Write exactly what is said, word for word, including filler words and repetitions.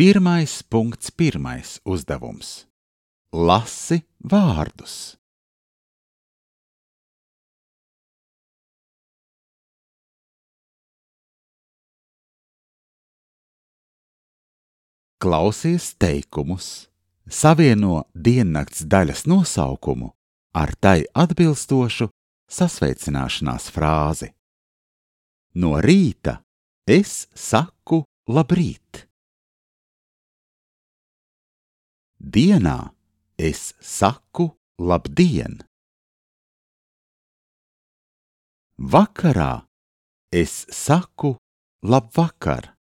Pirmais punkts pirmais uzdevums. Lasi vārdus. Klausies teikumus, savieno diennakts daļas nosaukumu ar tai atbilstošu sasveicināšanās frāzi. No rīta es saku labrīt. Dienā es saku labdien. Vakarā es saku labvakar.